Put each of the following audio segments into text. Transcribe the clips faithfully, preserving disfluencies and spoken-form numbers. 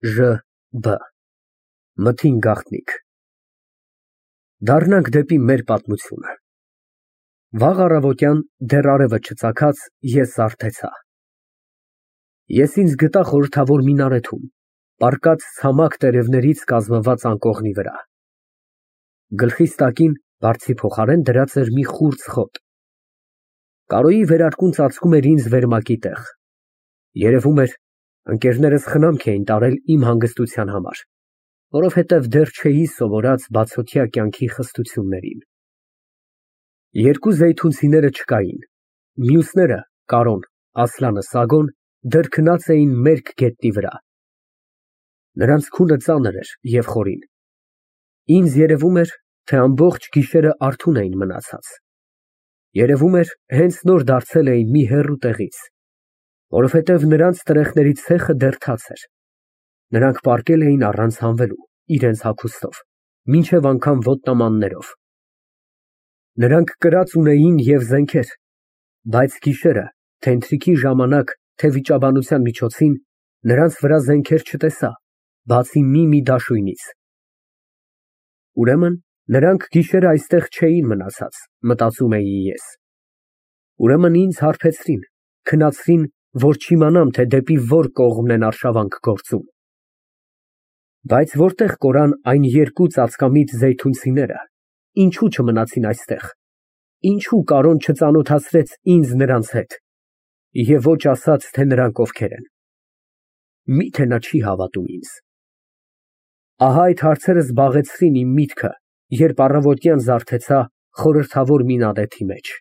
Ժ B Մթին գաղտնիք։ Դառնանք դեպի մեր պատմությունը։ Վաղ առավոտյան, դեռ արևը չծագած, ես զարթեցա։ Ես ինձ գտա խորհրդավոր մինարեթում, պառկած ցամաք տերևներից կազմված անկողնի վրա։ Գլխիս տակին բարձի փոխարեն դրած էր մի խուրձ խոտ։ Կարոյի վերարկուն ծածկում էր ինձ վերմակի տեղ։ Երևում էր, ընկերներս խնամք էին տարել իմ հանգստության համար, որովհետև դեռ չէի սովորած բացօթյա կյանքի խստություններին։ Երկու զեյթունցիները չկային, մյուսները՝ Կարոն, Ասլանը, Սագոն, դեռ քնած էին մերկ գետնի վրա։ Նրանց քունը ծանր էր և խորին։ Ինձ երևում էր, թե ամբողջ գիշերը արթուն էին մնացած։ Երևում էր, հենց նոր դարձել էին մի հեռու տեղից, որովհետև նրանց տրեխների ցեխը դեռ թաց էր։ Նրանք պառկել էին առանց հանվելու, իրենց հագուստով, մինչև անգամ ոտնամաններով։ Նրանք կրած ունեին և զենքեր, բայց գիշերը, թե ընթրիքի ժամանակ, թե վիճաբանության միջոցին, նրանց վրա զենքեր չտեսա, բացի մի֊մի դաշույնից։ Ուրեմն նրանք գիշերը այստեղ չէին մնացած, մտածում էի ես։ Ուրեմն ինձ հարբեցրին, քնացրին, որ չիմանամ, թե դեպի որ կողմն են արշավանք գործում։ Բայց որտեղ կորան այն երկու ծածկամիտ զեյթունցիները, ինչու չմնացին այստեղ, ինչու Կարոն չծանոթացրեց ինձ նրանց հետ, և ոչ ասաց, թե նրանք ովքեր են։ Մի՞թե նա չի հավատում ինձ։ Ահա այդ հարցերը զբաղեցրին իմ միտքը, երբ առավոտյան զարթեցա խորհրդավոր մինարեթի մեջ։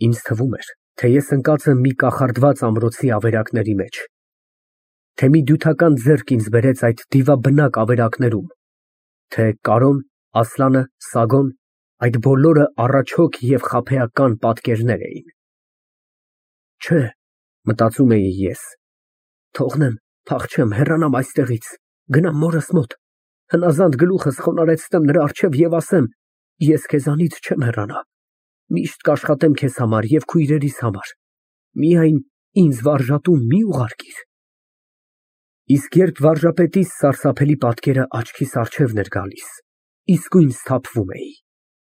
Ինձ թվում էր, թե ես ընկած եմ մի կախարդված ամրոցի ավերակների մեջ, թե մի դյութական ձեռք ինձ բերեց այդ դիվաբնակ ավերակներում, թե Կարոն, Ասլանը, Սագոն, այդ բոլորը առաջհոգ և խաբեական պատկերներ էին։ Չէ, մտածում էի ես, թողնեմ, փախչեմ, հեռանամ այստեղից, գնամ մորս մոտ, հնազանդ գլուխս խոնարհեցնեմ նրա առջև և ասեմ. ես քեզանից չեմ հեռանա, միշտ կաշխատեմ քեզ համար և քույրերիս համար, միայն ինձ վարժատուն մի ուղարկիր։ Իսկ երբ վարժապետիս սարսափելի պատկերը աչքիս առջևն էր գալիս, իսկույն սթափվում էի,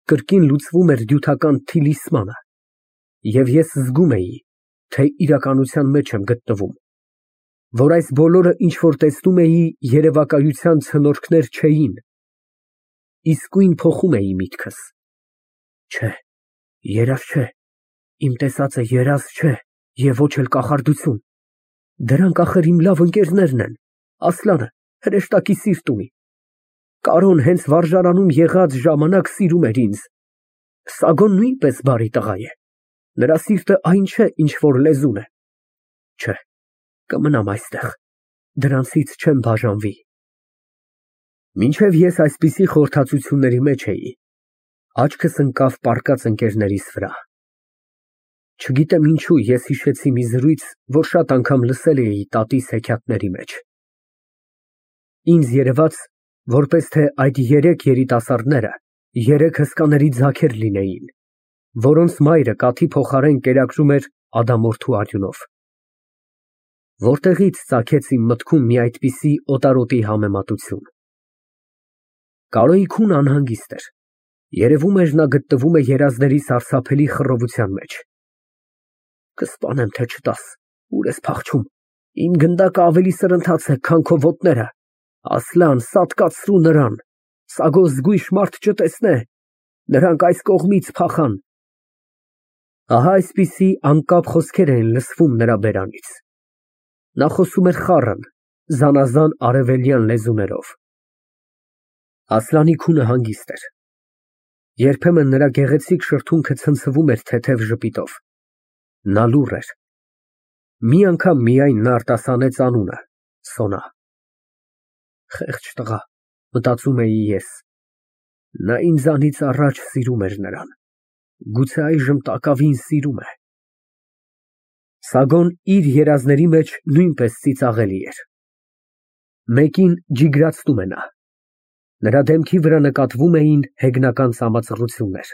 կրկին լուծվում էր դյութական թիլիսմանը, և ես զգում էի, թե իրականության մեջ եմ գտնվում, որ այս բոլորը, ինչ որ տեսնում էի, երևակայության ցնորքներ չէին, իսկույն փոխում էի միտքս։ Չէ, երազ չէ, իմ տեսածը երազ չէ և ոչ էլ կախարդություն, դրանք ախր իմ լավ ընկերներն են, Ասլանը, հրեշտակի սիրտ ունի, Կարոն հենց վարժարանում եղած ժամանակ սիրում էր ինձ, Սագոն նույնպես բարի տղա է, նրա սիրտը այն չէ, ինչ որ լեզուն է։ Չէ, կմնամ այստեղ, դրանցից չեմ բաժանվի։ Մինչև ես այսպիսի խորհրդածությունների մեջ էի, աչքս ընկավ պառկած ընկերներիս վրա։ Չգիտեմ ինչու ես հիշեցի մի զրույց, որ շատ անգամ լսել էի տատիս հեքիաթների մեջ։ Ինձ երևաց, որպես թե այդ երեք երիտասարդները երեք հսկաների ձագեր լինեին, որոնց մայրը կաթի փոխարեն կերակրում էր ադամորդու արյունով։ Որտեղի՞ց ծագեց իմ մտքում մի այդպիսի օտարոտի համեմատություն։ Կարոյի քունը անհանգիստ էր, երևում էր նա գտնվում է երազների սարսափելի խռովության մեջ։ Կսպանեմ, թե չտաս, ուր ես փախչում, իմ գնդակը ավելի սրընթաց է, քան քո ոտները, Ասլան, սատկացրու նրան, Սագո զգույշ մարդ չտեսնե, նրանք այս կողմից փախան։ Ահա այսպիսի անկապ խոսքեր էին լսվում նրա բերանից։ Նա խոսում էր խառն, զանազան արևելյան լեզուներով։ Ասլանի քունը հանգիստ էր։ Երբեմն նրա գեղեցիկ շրթունքը ցնցվում էր թեթև ժպիտով։ Նա լուռ էր։ Մի անգամ միայն նա արտասանեց անունը՝ Սոնա։ Խեղճ տղա, մտածում էի ես, նա ինձանից առաջ սիրում էր նրան, գուցե այժմ տակավին սիրում է։ Սագոն իր երազների մեջ նույնպես ծիծաղելի էր։ Մեկին ջիգրացնում է նա։ Նրա դեմքի վրա նկատվում էին հեգնական ծամածռություններ։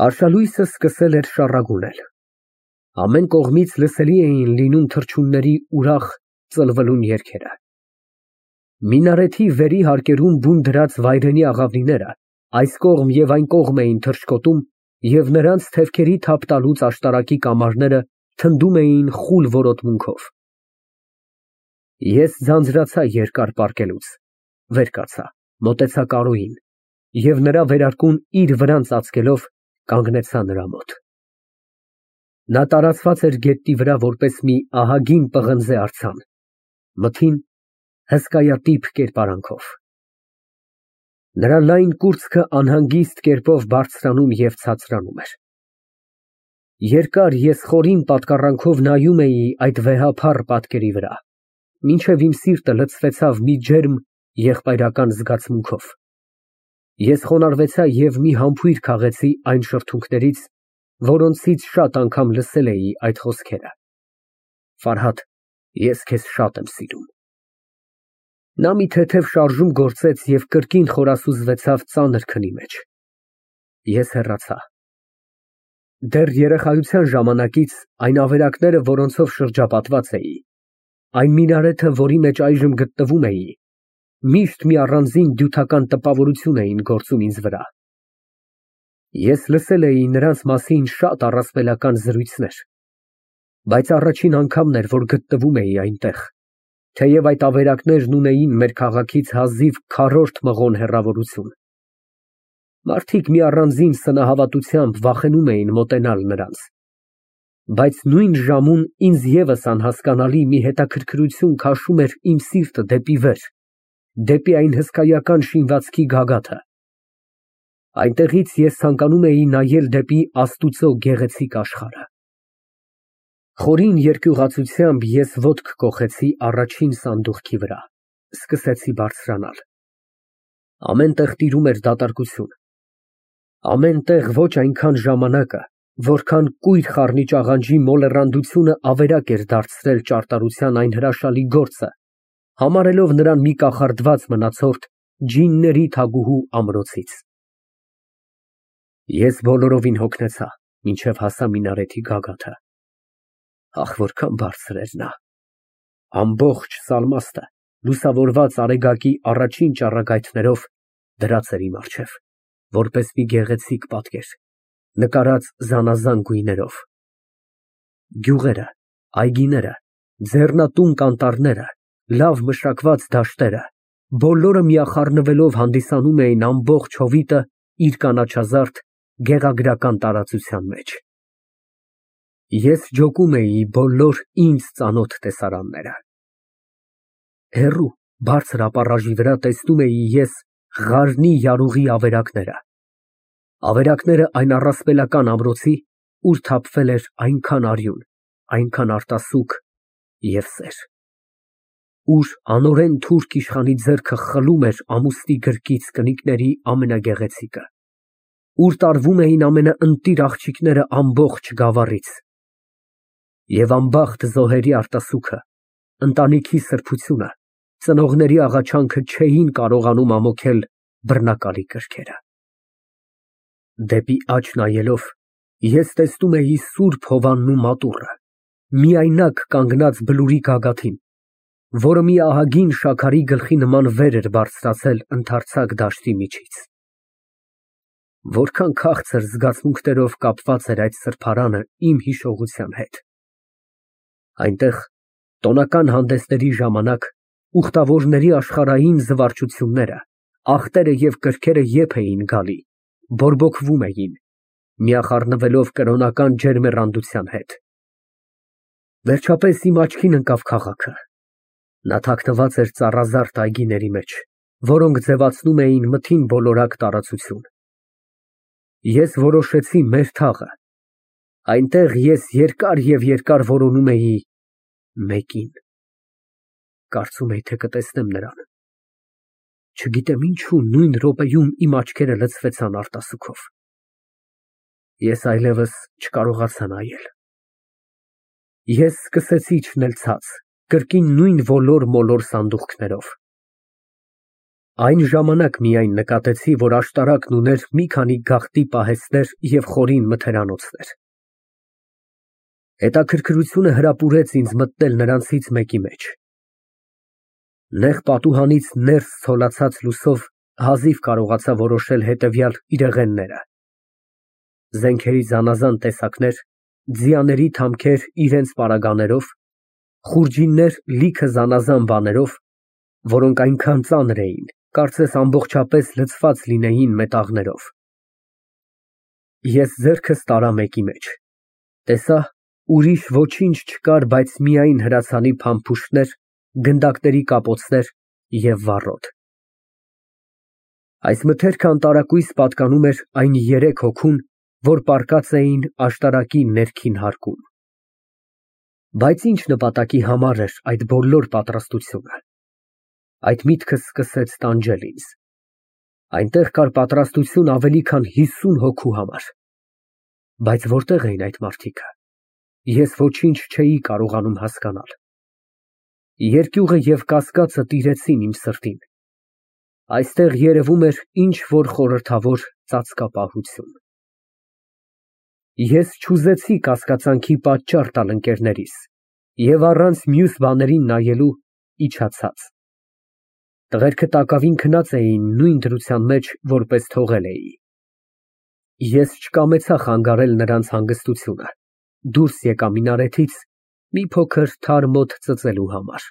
Արշալույսը սկսել էր շառագունել։ Ամեն կողմից լսելի էին լինում թռչունների ուրախ, ծլվելուն երգերը։ Մինարեթի վերի հարկերում բուն դրած վայրենի աղավնիները այս կողմ և այն կողմ էին թռչկոտում և նրանց թևքերի թափ տալուց աշտարակի կամարները թնդում էին խուլ որոտմունքով։ Ես ձանձրացա երկար պառկելուց, վեր կացա, մոտեցա Կարոյին և նրա վերարկուն իր վրան ծածկելով, կանգնեցա նրա մոտ։ Նա տարածված էր գետնի վրա որպես մի ահագին պղնձե արձան, մթին, հսկայատիպ կերպարանքով։ Նրա լայն կուրծքը անհանգիստ կերպով բարձրանում և ցածրանում էր։ Երկար ես խորին պատկառանքով նայում էի այդ վեհափառ պատկերի վրա, մինչև իմ սիրտը լցվեցավ մի ջերմ եղբայրական զգացմունքով։ Ես խոնարհվեցա և մի համբույր քաղեցի այն շրթունքներից, որոնցից շատ անգամ լսել էի այդ խոսքերը. «Ֆարհադ, ես քեզ շատ եմ սիրում»։ Նա մի թեթև շարժում գործեց և կրկին խորասուզվեցավ ծանր քնի մեջ։ Ես հեռացա։ Դեռ երեխայության ժամանակից այն ավերակները, որոնցով շրջապատված էի, այն մինարեթը, որի մեջ այժմ գտնվում էի, միշտ մի առանձին դյութական տպավորություն էին գործում ինձ վրա։ Ես լսել էի նրանց մասին շատ առասպելական զրույցներ, բայց առաջին անգամն էր, որ գտնվում էի այնտեղ, թեև այդ ավերակներն ունեին մեր քաղաքից հազիվ քառորդ մղոն հեռավորություն։ Մարդիկ մի առանձին սնահավատությամբ վախենում էին մոտենալ նրանց, բայց նույն ժամուն ինձ ևս անհասկանալի մի հետաքրքրություն քաշում էր իմ սիրտը դեպի վեր, դեպի այն հսկայական շինվածքի գագաթը։ Այնտեղից ես ցանկանում էի նայել դեպի Աստուծո գեղեցիկ աշխարհը։ Խորին երկյուղացությամբ ես ոտք կոխեցի առաջին սանդուղքի վրա, սկսեցի բարձրանալ։ Ամեն տեղ տիրում էր դատարկություն։ Ամեն տեղ ոչ այնքան ժամանակը, որքան կույր խառնիչ աղանջի մոլեռանդությունը ավերակ էր դարձրել ճարտարության այն հրաշալի գործը, համարելով նրան մի կախարդված մնացորդ ջինների թագուհու ամրոցից։ Ես բոլորովին հոգնեցա, մինչև հասա մինարեթի գագաթը։ Ահ, որքան բարձր էր նա։ Ամբողջ Սալմաստը, լուսավորված արեգակի առաջին ճառագայթներով, դրած էր իմ առջև, որպես մի գեղեցիկ պատկեր, նկարած զանազան գույներով։ Գյուղերը, այգիները, ձեռնատուն կանտառները, լավ մշակված դաշտերը, բոլորը միախառնվելով հանդիսանում էին ամբողջ հովիտը իր կանաչազարդ, գեղագրական տարածության մեջ։ Ես ջոկում էի բոլոր ինձ ծանոթ տեսարանները։ Հեռու, բարձր ապառաժի վրա տեսնում էի ես Ղարնի յարուղի ավերակները, ավերակները այն առասպելական ամրոցի, ուր թափվել էր այնքան արյուն, այնքան արտասուք և սեր, ուր անօրեն թուրք իշխանի ձեռքը խլում էր ամուստի գրկից կնիկների ամենագեղեցիկը, ուր տարվում էին ամենաընտիր աղջիկները ամբողջ գավառից, և անբախտ զոհերի արտասուքը, ընտանիքի սրբությունը, ծնողների աղաչանքը չէին կարողանում ամոթել բռնակալի կրքերը։ Դեպի աջ նայելով, ես տեսնում էի սուրբ Հովանն ու մատուռը, միայնակ կանգնած բլուրի գագաթին, որը մի ահագին շաքարի գլխի նման վեր էր բարձրացել ընդարձակ դաշտի միջից։ Որքան քաղցր զգացմունքներով կապված էր այդ սրբարանը իմ հիշողության հետ։ Այնտեղ, տոնական հանդեսների ժամանակ, ուխտավորների աշխարհային զվարճությունները, ախտերը և կրքերը եփ էին գալի, բորբոքվում էին, միախառնվելով կրոնական ջերմեռանդության հետ։ Վերջապես իմ աչքին ընկավ քաղաքը։ Նա թաքնված էր ծառազարդ այգիների մեջ, որոնք ձևացնում էին մթին բոլորակ տարածություն։ Ես որոշեցի մեր թաղը։ Այնտեղ ես երկար և երկար որոնում էի մեկին։ Կարծում էի, թե կտեսնեմ նրան։ Չգիտեմ ինչու նույն րոպեում իմ աչքերը լցվեցան արտասուքով։ Ես այլևս չկարողացա նայել։ Ես սկսեցի իջնել ցած, կրկին նույն ոլոր֊մոլոր սանդուղքներով։ Այն ժամանակ միայն նկատեցի, որ աշտարակն ուներ մի քանի գաղտի պահեստներ և խորին մթերանոցներ։ Հետաքրքրությունը հրապուրեց ինձ մտնել նրանցից մեկի մեջ։ Նեղ պատուհանից ներս ցոլացած լուսով հազիվ կարողացա որոշել հետևյալ իրեղենները. զենքերի զանազան տեսակներ, ձիաների թամքեր իրենց պարագաներով, խուրջիններ լիքը զանազան բաներով, որոնք այնքան ծանր էին, կարծես ամբողջապես լցված լինեին մետաղներով։ Ես ձեռքս տարա մեկի մեջ, տեսա ուրիշ ոչինչ չկար, բայց միայն հրացանի փամփուշտներ, գնդակների կապոցներ և վառոդ։ Այս մթերքը անտարակույս պատկանում էր այն երեք հոգուն, որ պառկած էին աշտարակի ներքին հարկում։ Բայց ինչ նպատակի համար էր այդ բոլոր պատրաստությունը։ Այդ միտքը սկսեց տանջել ինձ։ Այնտեղ կար պատրաստություն ավելի քան հիսուն հոգու համար։ Բայց որտե՞ղ էին այդ մարդիկը։ Ես ոչինչ չէի կարողանում հասկանալ։ Երկյուղը և կասկածը տիրեցին իմ սրտին։ Այստեղ երևում էր ինչ֊որ խորհրդավոր ծածկապահություն։ Ես չուզեցի կասկածանքի պատճառ տալ ընկերներիս և առանց մյուս բաներին նայելու իջացա։ Տղերքը տակավին քնած էին նույն դրության մեջ, որպես թողել էի։ Ես չկամեցա խանգարել նրանց հանգստությունը, դուրս եկա მინարեթից մի փոքր թարմ օդ ծծելու համար։